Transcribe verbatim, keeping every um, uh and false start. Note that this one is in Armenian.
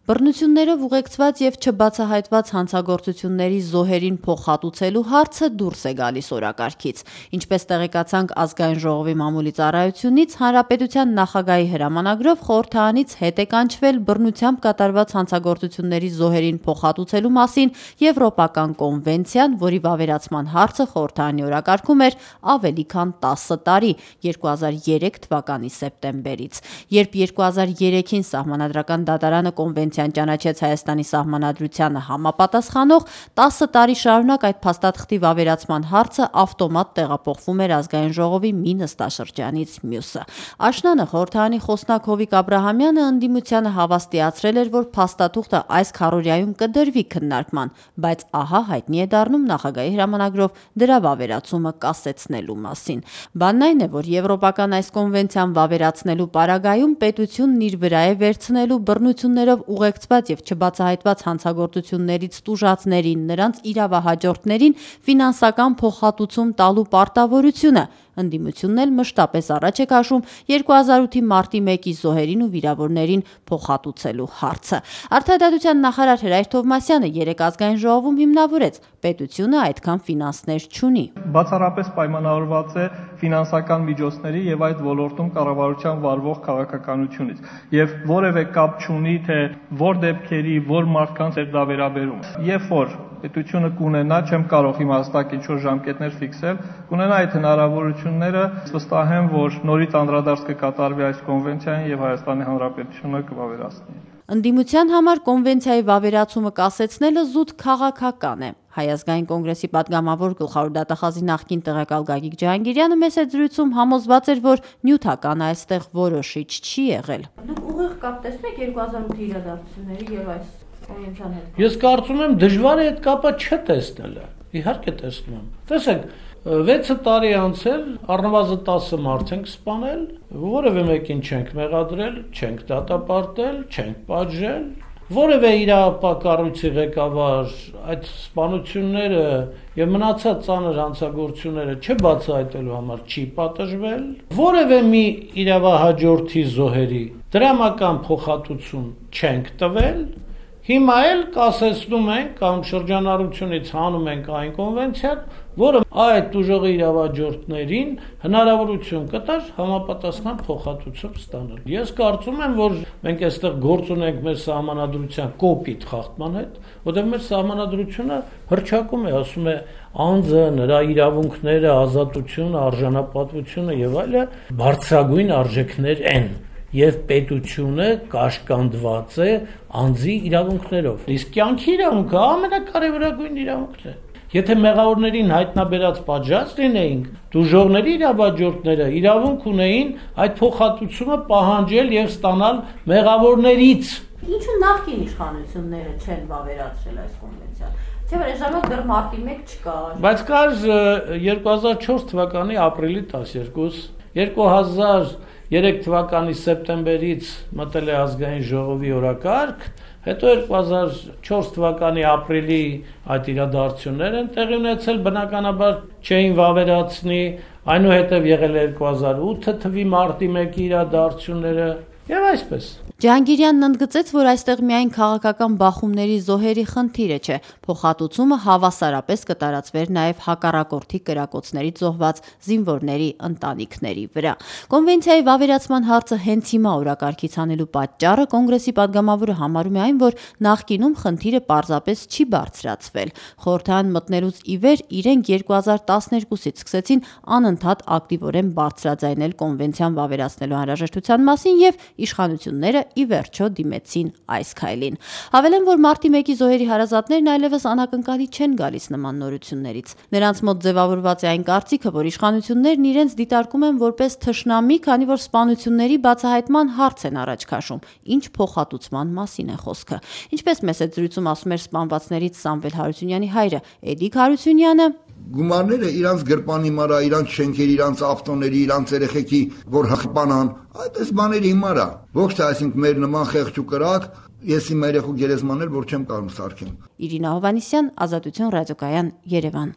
Բռնություններով ուղեկցված և չբացահայտված հանցագործությունների զոհերին փոխհատուցելու հարցը դուրս է գալիս օրակարգից։ Ինչպես տեղեկացանք Ազգային ժողովի մամուլի ծառայությունից, Հանրապետության նախագահի հրամանագրով խորհրդարանից հետ է կանչվել բռնությամբ կատարված հանցագործությունների զոհերին փոխհատուցելու մասին Եվրոպական կոնվենցիան, որի վավերացման հարցը խորհրդարանի օրակարգում էր ավելի քան տասը տարի՝ երկու հազար երեք թվականի սեպտեմբերից։ Երբ երկու հազար երեքին Սահմանադրական դատարանը կոնվենցիան ճանաչեց Հայաստանի Սահմանադրությանը համապատասխանող, տասը տարի շարունակ այդ փաստաթղթի վավերացման հարցը ավտոմատ տեղափոխվում էր Ազգային ժողովի մի նստաշրջանից մյուսը։ Աշնանը խորհրդարանի խոսնակ Հովիկ Աբրահամյանը ընդդիմությանը հավաստիացրել էր, որ փաստաթուղթը այս քառօրյայում կդրվի քննարկման, բայց ահա հայտնի է դառնում նախագահի հրամանագրով դրա վավերացումը կասեցնելու մասին։ Բանն այն է, որ եվրոպական այս կոնվենցիան վավերացնելու պարագայում պետությունն իր վրա է վերցնելու բռնություններով ուղեկցված և չբացահայտված հանցագործություններից տուժածներին, նրանց իրավահաջորդներին ֆինանսական փոխհատուցում տալու պարտավորությունը։ Ընդդիմությունն էլ մշտապես առաջ է քաշում երկու հազար ութի մարտի մեկի զոհերին ու վիրավորներին փոխհատուցելու հարցը։ Արդարադատության նախարար Հրայր Թովմասյանը երեկ Ազգային ժողովում հիմնավորեց՝ պետությունը այդքան ֆինանսներ չունի։ Բացառապես պայմանավորված է ֆինանսական միջոցների և այդ ոլորտում կառավարության վարվող քաղաքականությունից և որևէ կապ չունի, թե որ դեպքերի, որ մարդկանց է դա վերաբերում։ Երբ որ պետությունը կունենա, չեմ կարող հիմա հստակ ինչ-որ ժամկետներ ֆիքսել, կունենա այդ հնարավորությունները, վստահ եմ, որ նորից անդրադարձ կկատարվի այս կոնվենցիային և Հայաստանի Հանրապետությունը կվավերացնի։ Ընդդիմության համար կոնվենցիայի վավերացումը կասեցնելը զուտ քաղաքական է։ Հայ ազգային կոնգրեսի պատգամավոր գլխավոր դատախազի նախկին տեղակալ Գագիկ Ջհանգիրյանը մեծ զրույցում համոզված էր, որ նյութականը այստեղ որոշիչ չի եղել։ Դուք ուղիղ կապ տեսնեք երկու հազար ութի իրադարձությունների եւ այս կոնվենցիան հետ։ Ես կարծում եմ դժվար է այդ կապը չտեսնելը։ Իհարկե տեսնում եմ։ Տեսեք, վեցը տարի անցել, առնվազն տասը մարդ ենք սպանել, որևէ մեկին չենք մեղադրել, չենք դատապարտել, չենք պատժել, որևէ իրավապահ կառույցի ղեկավար այդ սպանությունները եւ մնացած ծանր հանցագործությունները չբացահայտելու համար չի պատժվել, որևէ մի իրավահաջորդի զոհերի դրամական փոխհատուցում չենք տվել։ Հիմա էլ կասեցնում ենք կամ շրջանառությունից հանում ենք այն կոնվենցիան, որը այդ տուժողի իրավահաջորդներին հնարավորություն կտար համապատասխան փոխհատուցում ստանալ։ Ես կարծում եմ, որ մենք այստեղ գործ ունենք մեր սահմանադրության կոպիտ խախտման հետ, որտեղ մեր սահմանադրությունը հռչակում է, ասում է անձը, նրա իրավունքները, ազատությունը, արժանապատվությունը եւ այլը բարձրագույն արժեքներ են։ Եվ պետությունը կաշկանդված է անձի իրավունքներով։ Իսկ կյանքի իրավունքը ամենակարևորագույն իրավունքն է։ Եթե մեղավորներին հայտնաբերած պատժած լինեինք, տուժողների իրավահաջորդները իրավունք ունեին այդ փոխհատուցումը պահանջել եւ ստանալ մեղավորներից։ Ինչու նախկին իշխանությունները չեն վավերացրել այս կոնվենցիան։ Չէ՞ որ ժամանակ դեռ մարտի մեկ չկար։ Բայց կար երկու հազար չորս թվականի ապրիլի տասներկուս, երկու հազար երեք թվականի սեպտեմբերից մտել է Ազգային ժողովի օրակարգ, հետո երկու հազար չորս թվականի ապրիլի այդ իրադարձություններ են տեղի ունեցել, բնականաբար չէին վավերացնի, այնուհետև եղել է երկու հազար ութ թվականի մարտի մեկի իրադարձությունները եւ այսպես։ Ջհանգիրյանն ընդգծեց, որ այստեղ միայն քաղաքական բախումների զոհերի խնդիրը չէ, փոխհատուցումը հավասարապես կտարածվեր նաև հակառակորդի կրակոցներից զոհված զինվորների ընտանիքների վրա։ Կոնվենցիայի վավերացման հարցը հենց հիմա օրակարգից անելու պատճառը կոնգրեսի պատգամավորը համարում է այն, որ նախկինում խնդիրը պարզապես չի բարձրացվել։ Խորհրդարան մտնելուց ի վեր իրենք երկու հազար տասներկուսից սկսեցին անընդհատ ակտիվորեն բարձրաձայնել կոնվենցիան վավերացնելու անհրաժեշտության մասին եւ իշխանությունները ի վերջո դիմեցին այս քայլին։ Հավելեմ, որ մարտի մեկի զոհերի հարազատներն այլևս անակնկալի չեն գալիս նման նորություններից։ Նրանց մոտ ձևավորված է այն կարծիքը, որ իշխանություններն իրենց դիտարկում են որպես թշնամի, քանի որ սպանությունների բացահայտման հարց են առաջ քաշում, ինչ փոխհատուցման մասին է խոսքը։ Ինչպես մեծ զրույցում ասում էր սպանվածներից Սամվել Հարությունյանի հայրը Էդիկ Հարությունյանը, գումարները իրանց գրպանի մարա, իրանց շենքերի, իրանց ավտոների, իրանց երեխեքի, որ հղպանան, այդպես բաների հիմարա։ Ոչ թե այսինքն մեր նման խեղճ ու կրակ, ես իմ երեխու գերեզմանել, որ չեմ կարող սարքեմ։ Իրինա Հովհաննիսյան, Ազատություն ռադիոկայան, Երևան։